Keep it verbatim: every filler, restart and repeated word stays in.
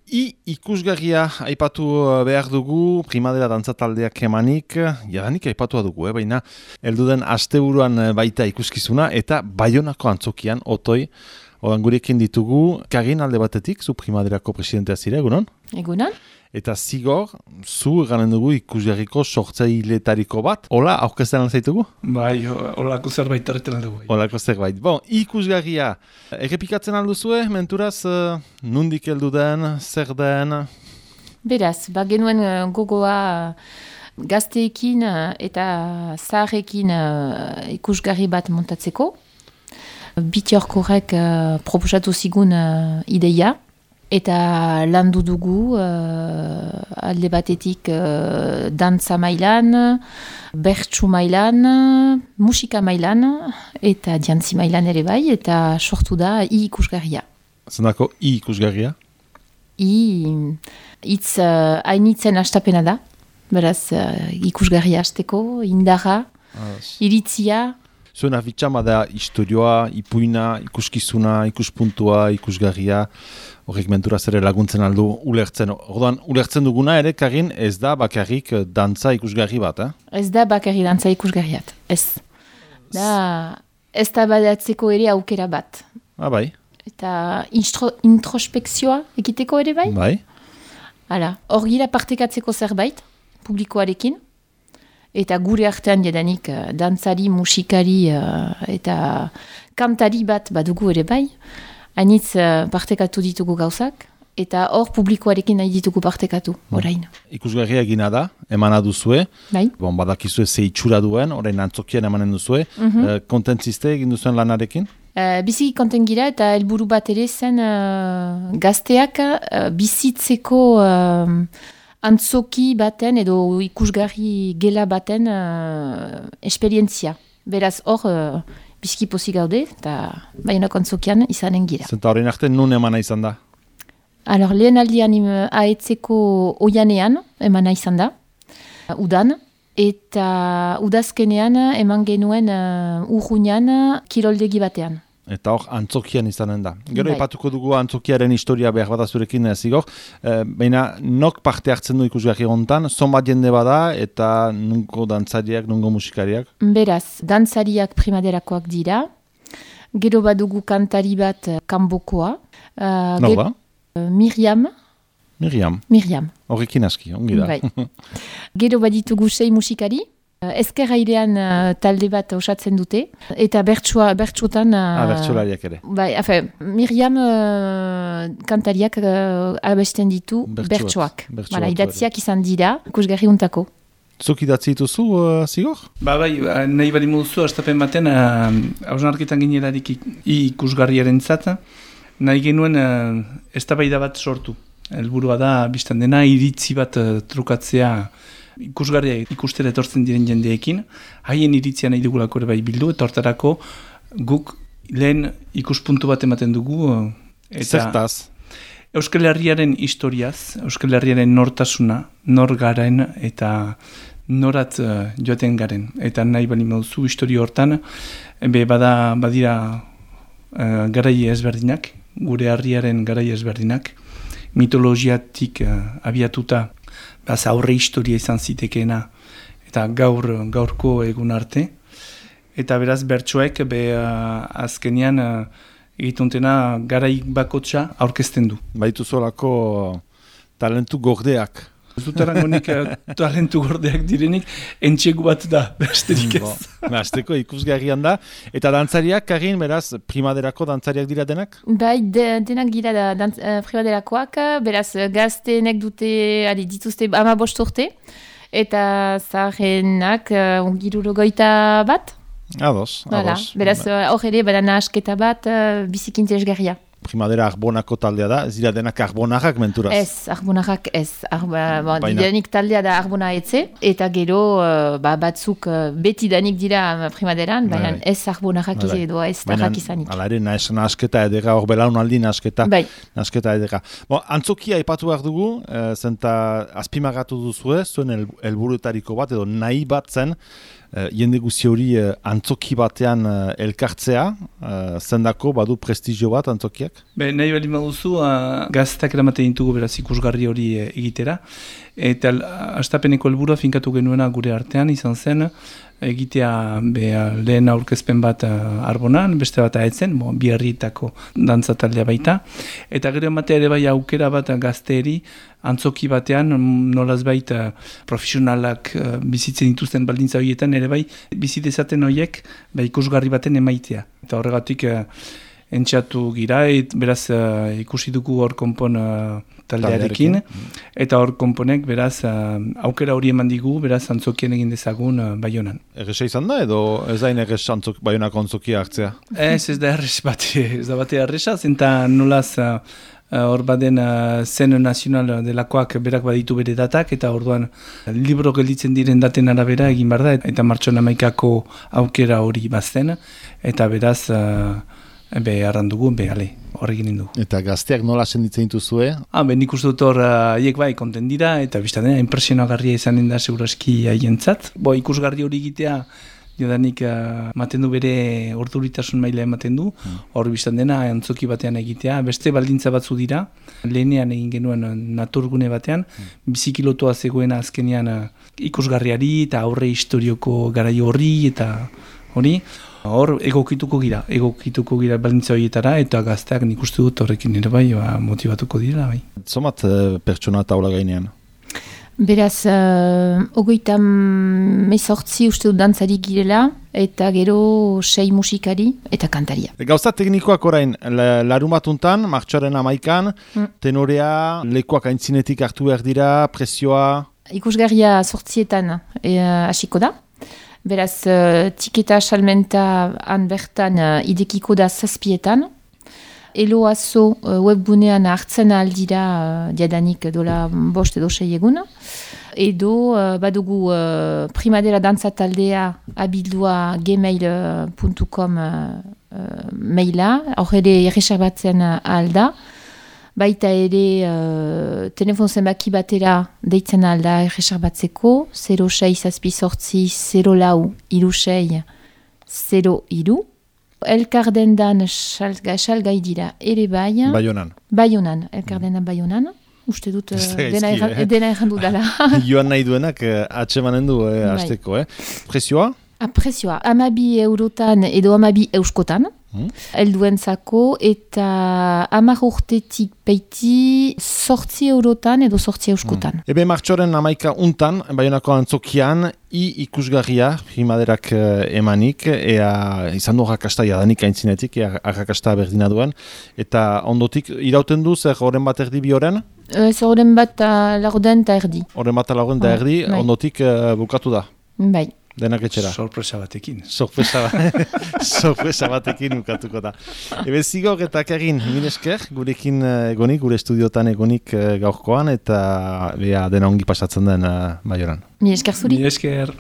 I ikusgarria aipatu behar dugu, primadera dantzataldeak emanik, jadanik aipatua dugu, eh? Baina helduden asteburuan baita ikuskizuna eta Baionako antzokian, otoi, odan gurekin ditugu, Karin alde batetik, zu primaderako presidentea zira, egunon? Egunon. Eta Zigor, zu eganen dugu ikusgarriko sortzailetariko bat, hola, aurkezten alzaitugu? Bai, holako zerbait tarretan dugu. Holako zerbait. Bon, ikusgarria, errepikatzen alduzue, menturaz, uh, nundik heldu den, zer den? Beraz, ba genuen uh, gogoa uh, gazteekin uh, eta zaharrekin uh, ikusgarri bat montatzeko. Bitiorkorek uh, proposatu zigun uh, ideia. Eta landu dugu uh, alde batetik uh, dantza mailan, bertsu mailan, musika mailan eta jantzi mailan ere bai, eta sortu da i ikusgarria. Zendako i ikusgarria? I hitz uh, hainitzen astapena da, beraz uh, ikusgarria hasteko, indarra, As. iritzia. Zuen afitxama da historioa, ipuina, ikuskizuna, ikuspuntua, ikusgarria, horrek menturaz ere laguntzen aldu ulertzen. Orduan, ulertzen duguna ere, Karin, ez da bakarrik dantza ikusgarri bat, eh? Ez da bakarrik dantza ikusgarriat, ez. Da, ez da badatzeko ere aukera bat. Ah, bai. Eta instro, introspekzioa ekiteko ere bai. Bai. Hala, hor gira partekatzeko zerbait, publikoarekin. Eta gure artean jadanik uh, dantzari, musikari uh, eta kantari bat badugu ere bai. Hainitz uh, partekatu ditugu gauzak. Eta hor publikoarekin nahi ditugu partekatu, orain. Ikusgarria egina da, emana duzue. Bai. Bon, badakizue ze itxura duen, orain antzokian emanen duzue. Mm-hmm. uh, kontentziste egin duzuen lanarekin? Uh, biziki konten gira eta helburu bat ere zen uh, gazteak uh, bizitzeko uh, antzoki baten edo ikusgarri gela baten uh, esperientzia. Beraz hor uh, biziki pozik gaude eta Baionako antzokian izanen gira. Zenta horrein arte nun emana izan da? Alor, lehen aldian aetzeko oianean emana izan da, uh, udan, eta udazkenean eman genuen uh, urruñan kiroldegi batean. Eta hor, antzokian izanen da. Gero, Bai. ipatuko dugu antzokiaren historia behar bada zurekin Zigor. E, Baina, nok parte hartzen du ikusgarri hontan, zonbat jende bada eta nungo dantzariak, nungo musikariak? Beraz, dantzariak primaderakoak dira, gero badugu kantari bat uh, kanbokoa. Uh, Nor ge- da? uh, Miriam. Miriam. Miriam. Horrekin aski, ongi da. Bai. Gero baditugu sei musikari. Uh, Ezker airean uh, talde bat osatzen dute, eta bertsua, bertsuotan... Uh, ah, bertsolariak ere. Bai, afe, Miriam uh, kantariak uh, abesten ditu Bertsuak. bertsoak. Bertsuak Bara, ere. idatziak izan dira, ikusgarri untako. Zuk idatzi dituzu, uh, Zigor? Ba, bai, ba, nahi bali moduzu, astapen baten, hausnarketan uh, ginelarik ikusgarriaren zata, nahi genuen uh, eztabaida bat sortu. Helburua da, biztan dena, iritzi bat uh, trukatzea ikusgarria ikustera etortzen diren jendeekin, haien iritzia nahi dugulako ere bai bildu, eta hortarako guk lehen ikuspuntu bat ematen dugu. Eta Zertaz? Euskal Herriaren historiaz, Euskal Herriaren nortasuna, nor garen eta norat uh, joaten garen. Eta nahi bali mauzu historio hortan, be bada badira uh, garai ezberdinak, gure herriaren garai ezberdinak, mitologiatik uh, abiatuta, Baz aurre historia izan zitekeena eta gaur gaurko egun arte. Eta beraz bertsoek be uh, azkenean uh, egituntena garai bakotsa aurkezten du. Baitu zolako talentu gordeak. Ez dut erangonik uh, talentu gordeak direnik, entxegu bat da, besterik ez. Bo, Azteko ikusgarrian da. Eta dantzariak, Karin, beraz, primaderako dantzariak dira denak? Bai, de, denak dira da, dantz, uh, primaderakoak, beraz gazteenek dute adi, dituzte ama bost urte, eta zaharrenak uh, girurogoita bat. Ados, Hala, ados. beraz hor ere bada nahasketa bat uh, biziki interesgarria. Primadera Arbonako taldea da, ez dira denak Arbonarrak menturaz. Ez, Arbonarrak ez. Arba, bon, Baina- danik taldea da Arbona etze, eta gero uh, ba, batzuk uh, beti danik dira primaderan, baina Bai. ez Arbonarrak Bai. edo ez Baina, tarrak izanik. Hala ere, nahas, nahasketa edera, hor belaunaldi nahasketa, Bai. nahasketa edera. Bon, antzokia aipatu behar dugu, e, zenta azpimagatu duzue, zuen el, helburuetariko bat, edo nahi bat zen, uh, jende guzi hori uh, antzoki batean uh, elkartzea, uh, zendako badu prestigio bat antzokiak? Be, nahi bali maduzu, uh, gaztak eramaten ditugu beraz ikusgarri hori e, egitera, eta hastapeneko helburua finkatu genuena gure artean izan zen, egitea be, lehen aurkezpen bat uh, Arbonan, beste bat aetzen, bo, bi herrietako dantza taldea baita, eta gero ematea ere bai aukera bat gazteeri, antzoki batean, nolaz baita profesionalak uh, bizitzen dituzten baldintza horietan, ere bai bizitezaten horiek ba, ikusgarri baten emaitea. Eta horregatik uh, entxatu gira, et, beraz uh, ikusi dugu hor konpon uh, taldearekin, eta hor konponek beraz uh, aukera hori eman digu, beraz antzokien egin dezagun uh, Baionan. Erresa izan da, edo ez da inerrez antzok, Baionako antzokia hartzea? Ez, ez da errez bate, ez da bate erresa, zenta nolaz uh, hor baden uh, zen nazional delakoak berak baditu bere datak, eta orduan libro gelditzen diren daten arabera egin behar da, eta martxoan hamaikako aukera hori bazten, eta beraz uh, be arrandugu, be ale, horrekin indugu. Eta gazteak nola senditzen dituzue? Ah, ben nik uste dut hor haiek bai konten dira, eta biztan dena, impresionagarria izanen da seguraski haientzat. Bo, ikusgarri hori egitea, jodanik uh, maten du bere orduritasun maila ematen du, hor biztan dena antzoki batean egitea, beste baldintza batzu dira, lehenean egin genuen naturgune batean, bizikilotoa zegoena azkenean uh, ikusgarriari eta aurre historioko garaio horri eta hori, hor egokituko gira, egokituko gira baldintza horietara, eta gazteak nik uste dut horrekin ere bai, ba, motivatuko dira bai. Zomat uh, pertsona taula gainean? Beraz, uh, ogoita mezortzi uste dut dantzari girela, eta gero sei musikari eta kantaria. Gauza teknikoak orain, larumatuntan, martxoaren amaikan, mm. tenorea, lekuak aintzinetik hartu behar dira, presioa? Ikusgarria sortzietan hasiko da. Beraz, uh, tiketa salmenta han bertan uh, idekiko da zazpietan. Eloazo uh, webgunean hartzen aldira uh, diadanik dola bost edo sei egun. Edo uh, badugu uh, primadera dantza taldea abildua gmail puntu com uh, uh, maila. Hor ere erreserbatzen uh, alda. Baita ere uh, telefon zenbaki batera deitzen alda erreserbatzeko, zero sei zazpi sortzi, zero lau iru sei, zero iru. Elkardendan salgai dira ere bai. Baionan. Baionan, elkardendan Baionan. Uste dut uh, dena, erran, eh? dena errandu dala. Joan nahi duenak uh, atsemanen du eh, hasteko. Eh? Prezioa? Prezioa, amabi eurotan edo amabi euskotan. Hmm. Elduentzako eta hamar urtetik peiti sortzi eurotan edo sortzi euskotan. Hmm. Ebe martxoren amaika untan, Baionako antzokian, i ikusgarria primaderak uh, emanik, ea izan du arrakasta jadanik aintzinetik, ea arrakasta berdina duen, eta ondotik irauten du zer horren bat erdi bi horren? Ez horren bat laurden eta erdi. Horren bat laurden eta erdi, oh, ondotik uh, bukatu da? Bai. Denak etxera. Sorpresa batekin. Sorpresa, ba Sorpresa batekin ukatuko da. Ebe zigor eta Karin, mil esker, gurekin egonik, gure estudiotan egonik gaurkoan, eta bea dena ongi pasatzen den uh, Baionan. Mil esker zuri. Mil esker.